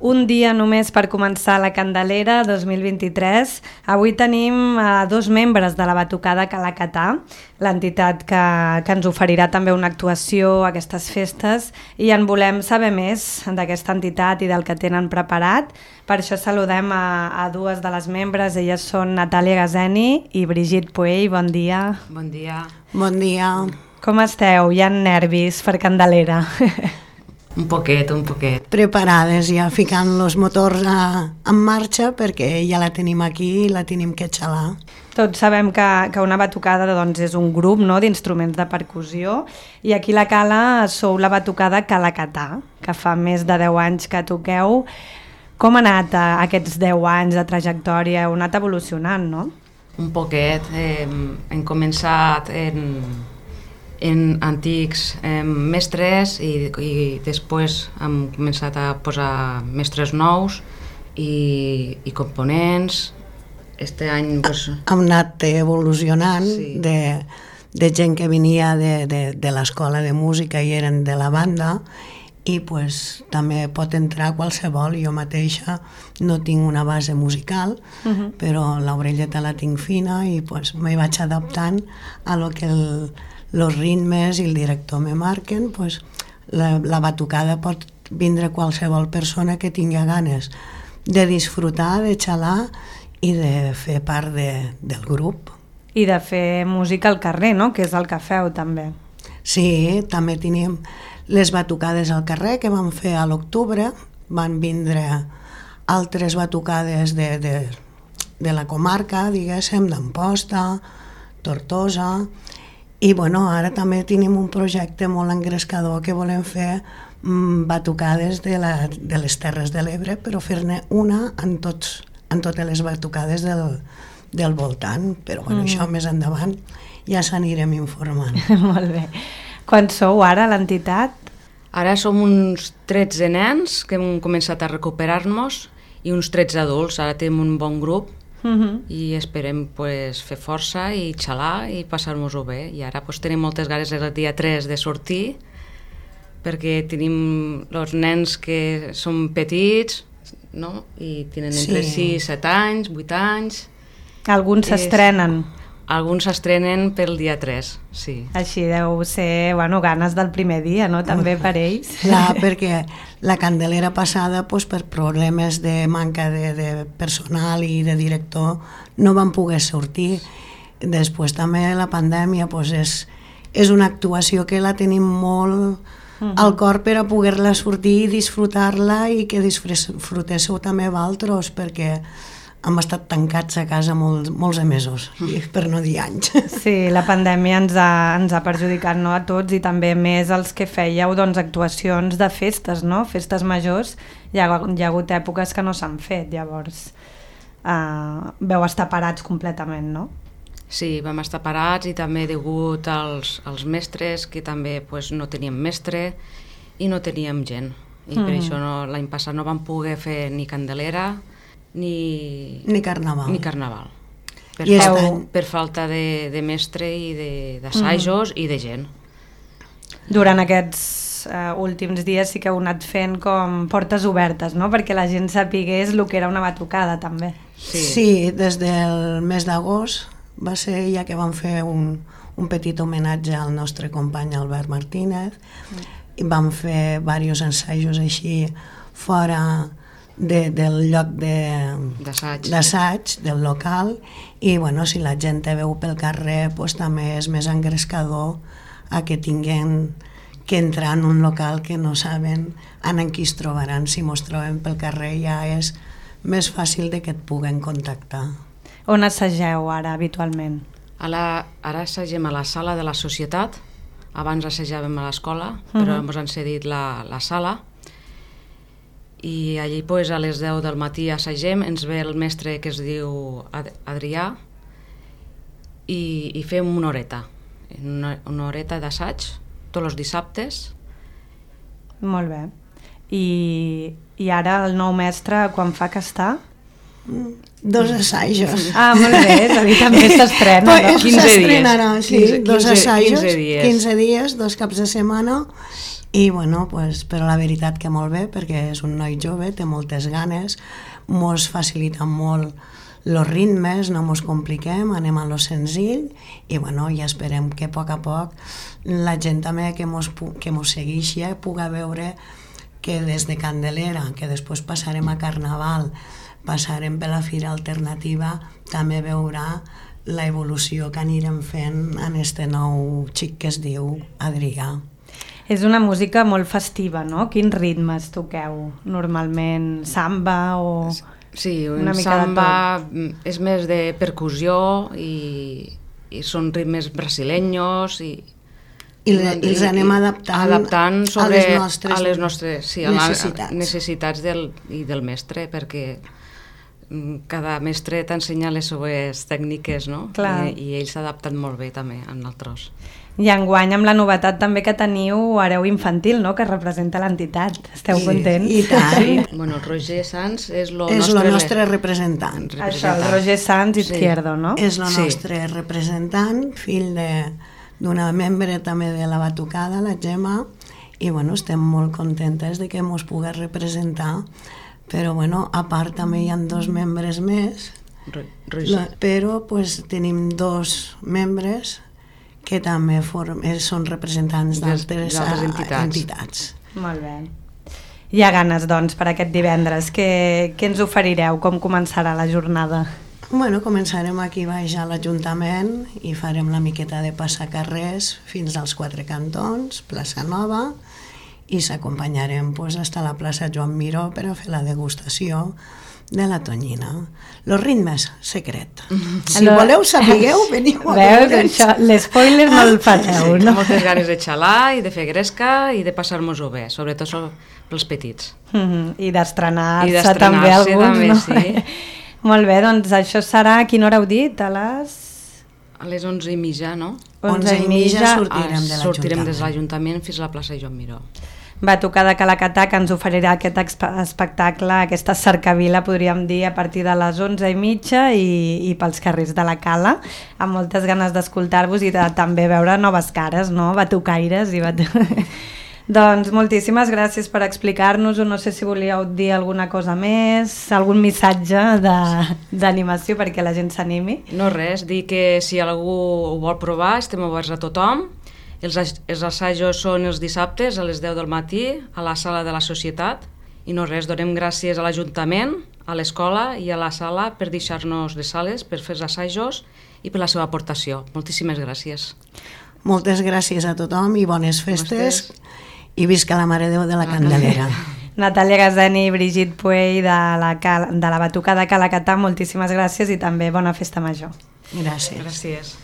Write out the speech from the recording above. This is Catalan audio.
Un dia només per començar la Candelera 2023. Avui tenim dos membres de la Batucada Calacatà, l'entitat que ens oferirà també una actuació a aquestes festes, i en volem saber més d'aquesta entitat i del que tenen preparat. Per això saludem a dues de les membres. Elles són Natàlia Gazeni i Brigitte Puell. Bon dia. Bon dia. Bon dia. Com esteu? Hi ha nervis per Candelera? Un poquet. Preparades, ja ficant els motors en marxa, perquè ja la tenim aquí i la tenim que xalar. Tots sabem que una batucada és un grup, no?, d'instruments de percussió, i aquí a la Cala sou la Batucada Calacatà, que fa més de 10 anys que toqueu. Com ha anat aquests 10 anys de trajectòria? Heu anat evolucionant, no? Un poquet. Hem començat en antics mestres i després hem començat a posar mestres nous i components. Este any hem anat evolucionant, sí, de gent que venia de l'escola de música i eren de la banda, i també pot entrar qualsevol. Jo mateixa no tinc una base musical, però l'orelleta la tinc fina i m'hi vaig adaptant a lo que els ritmes i el director me marquen. La batucada pot vindre qualsevol persona que tingui ganes de disfrutar, de xalar i de fer part del grup. I de fer música al carrer, no?, que és el que feu també. Sí, també tenim les batucades al carrer que vam fer a l'octubre. Van vindre altres batucades de la comarca, diguéssim, d'Amposta, Tortosa, i ara també tenim un projecte molt engrescador que volem fer batucades de les Terres de l'Ebre, però fer-ne una en totes les batucades del voltant, però això més endavant ja s'anirem informant. Molt bé. Quan sou ara a l'entitat? Ara som uns 13 nens que hem començat a recuperar-nos i uns 13 adults. Ara tenim un bon grup i esperem fer força i xalar i passar-nos-ho bé. I ara tenim moltes ganes el dia 3 de sortir, perquè tenim els nens que són petits, no?, i tenen entre 6, 7 anys, 8 anys. Alguns s'estrenen. Alguns s'estrenen pel dia 3, sí. Així deu ser, ganes del primer dia, no?, també per ells. Clar, perquè la Candelera passada, per problemes de manca de personal i de director, no van poder sortir. Després també la pandèmia és una actuació que la tenim molt al cor per a poder-la sortir i disfrutar-la, i que disfrutéssiu també vosaltres, perquè hem estat tancats a casa molts mesos, per no dir anys. Sí, la pandèmia ens ha perjudicat, no?, a tots, i també més els que fèieu actuacions de festes, no?, festes majors. Hi ha hagut èpoques que no s'han fet, llavors veu estar parats completament, no? Sí, vam estar parats, i també degut als mestres, que també no teníem mestre i no teníem gent. I per això l'any passat no vam poder fer ni Candelera ni carnaval. Per falta de mestre i d'assajos i de gent. Durant aquests últims dies sí que heu anat fent com portes obertes, no?, perquè la gent sapigués el que era una batucada també. Sí, des del mes d'agost va ser ja que vam fer un petit homenatge al nostre company Albert Martínez, i vam fer diversos ensajos així fora del lloc d'assaig del local, i si la gent te veu pel carrer també és més engrescador a que tinguin que entrar en un local que no saben en qui es trobaran. Si mos trobem pel carrer ja és més fàcil de que et puguen contactar. On assageu ara habitualment? Ara assagem a la sala de la societat. Abans assajàvem a l'escola, però ens han cedit la sala, i allí a les 10 del matí assagem. Ens ve el mestre que es diu Adrià i fem una horeta d'assaig tots els dissabtes. Molt bé. I ara el nou mestre quan fa que està? 2 assajos. Molt bé, és a dir, també s'estrena, no? 15 dies. Sí, 2 assajos, 15 dies, 2 caps de setmana, I bueno, pues, però la veritat que molt bé, perquè és un noi jove, té moltes ganes, mos facilita molt els ritmes, no mos compliquem, anem a lo senzill i bueno, ja esperem que a poc la gent també que mos segueixi puga veure que des de Candelera, que després passarem a Carnaval, passarem per la Fira Alternativa, també veurà la evolució que anirem fent en este nou xic que es diu Adrià. És una música molt festiva, no? Quins ritmes toqueu normalment? Samba o... Sí, un samba és més de percussió i són ritmes brasileños i els anem adaptant sobre a les nostres necessitats del mestre, perquè cada mestre t'ensenya les seues tècniques, no? I ells s'adapten molt bé també a nosaltres. I enguany amb la novetat també que teniu Hereu Infantil, no?, que representa l'entitat. Esteu contents? I tant. Sí. Bueno, el Roger Sanz és el nostre representant. Això, el Roger Sanz Izquierdo, no? És el nostre representant, fill d'una membre també de la batucada, la Gemma, i bueno, estem molt contentes de que ens pugui representar, però bueno, a part també hi ha 2 membres més, però pues, tenim 2 membres que també són representants d'altres entitats. Molt bé. Hi ha ganes, doncs, per aquest divendres. Què ens oferireu? Com començarà la jornada? Bueno, començarem aquí baix a l'Ajuntament i farem la miqueta de passacarrers fins als 4 cantons, plaça Nova, i s'acompanyarem fins a la plaça Joan Miró per a fer la degustació de la tonyina. Los ritmes, secret. Si voleu, sapigueu, veniu a veure. L'espoiler no el fareu, no? Moltes ganes de xalar i de fer gresca i de passar-nos-ho bé, sobretot pels petits. I d'estrenar-se també alguns, no? Sí. Molt bé, doncs això serà, a quina hora heu dit? A les 11:30, no? 11:30 sortirem des de l'Ajuntament fins a la plaça Joan Miró. Batucada Calacatà, que ens oferirà aquest espectacle, aquesta cercavila, podríem dir, a partir de les 11:30 i pels carrers de la Cala, amb moltes ganes d'escoltar-vos i de també veure noves cares, no? Batucaires i Doncs moltíssimes gràcies per explicar-nos-ho. No sé si volíeu dir alguna cosa més, algun missatge d'animació perquè la gent s'animi. No res, dir que si algú ho vol provar estem oberts a tothom. Els assajos són els dissabtes a les 10 del matí a la sala de la Societat i no res, donem gràcies a l'Ajuntament, a l'escola i a la sala per deixar-nos les sales, per fer els assajos i per la seva aportació. Moltíssimes gràcies. Moltes gràcies a tothom i bones festes i visca la Mare de Déu de la Candelera. Natàlia Gazeni i Brigitte Puey de la Batucada Calacatà, moltíssimes gràcies i també bona festa major. Gràcies. Gràcies.